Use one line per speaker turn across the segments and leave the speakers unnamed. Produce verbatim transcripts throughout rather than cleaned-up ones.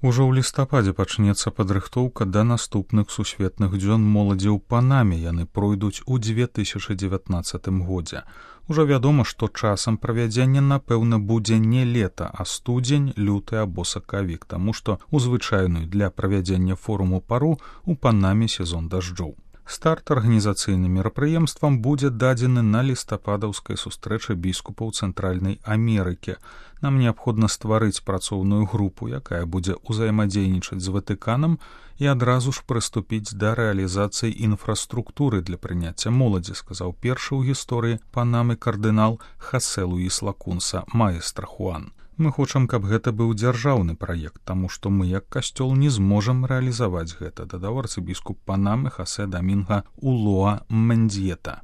Ужо ў лістападзе пачнецца падрыхтоўка да наступных сусветных дзён моладзі ў Панаме. Яны пройдуць у дзве тысячы дзевятнаццатым годзе. Ужо вядома, што часам правядзення, напэўна, будзе не лета, а студзень, люты або сакавік, таму што ў звычайную для правядзення форуму пару у Панаме сезон дажджоў. Старт арганізацыйным мерапрыемствам будзе дадзены на лістападаўскай сустрэчы біскупаў Цэнтральнай Амерыкі. Нам неабходна стварыць працоўную групу, якая будзе ўзаемадзейнічаць з Ватыканам і адразу ж прыступіць да рэалізацыі інфраструктуры для прыняцця моладзі, сказаў першы ў гісторыі Панамы кардынал Хасе Луіс Лакунса маэстра Хуан. Мы хочам, каб гэта быў дзяржаўны праект, таму што мы, як касцёл, не зможам рэалізаваць гэта, дадаў арцыбіскуп Панамы Хасе Дамінга Улоа Мендьета.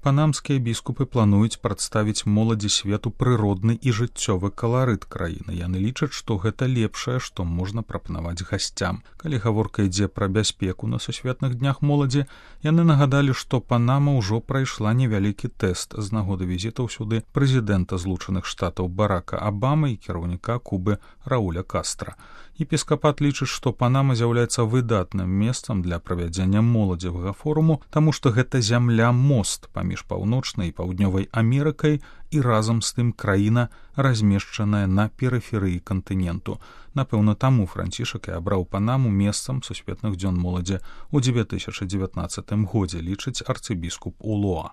Панамскія біскупы плануюць прадставіць моладзі свету прыродны і жыццёвы каларыт краіны. Яны лічаць, што гэта лепшае, што можна прапанаваць гасцям. Калі гаворка ідзе пра бяспеку на сусветных днях моладзі, яны нагадалі, што Панама ўжо прайшла невялікі тэст з нагоды візітаў сюды прэзідэнта Злучаных Штатаў Барака Абамы і кіраўніка Кубы Рауля Кастра. Епіскапат лічыць, што Панама з'яўляецца выдатным месцам для правядзення моладзевага форуму, таму што гэта зямля-мост паміж паўночнай і паўднёвай Амерыкай і разам з тым краіна, размешчаная на перыферыі кантыненту. Напэўна, таму Францішак і абраў Панаму месцам сусветных дзён моладзі ў дзве тысячы дзевятнаццатым годзе, лічыць арцыбіскуп Улоа.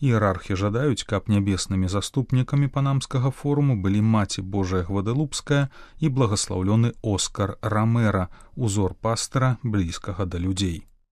Іерархі жадаюць, каб нябеснымі заступнікамі панамскага форуму былі маці Божая Гвадалупская і благаслаўлёны Оскар Рамера, узор пастара, блізкага да людзей.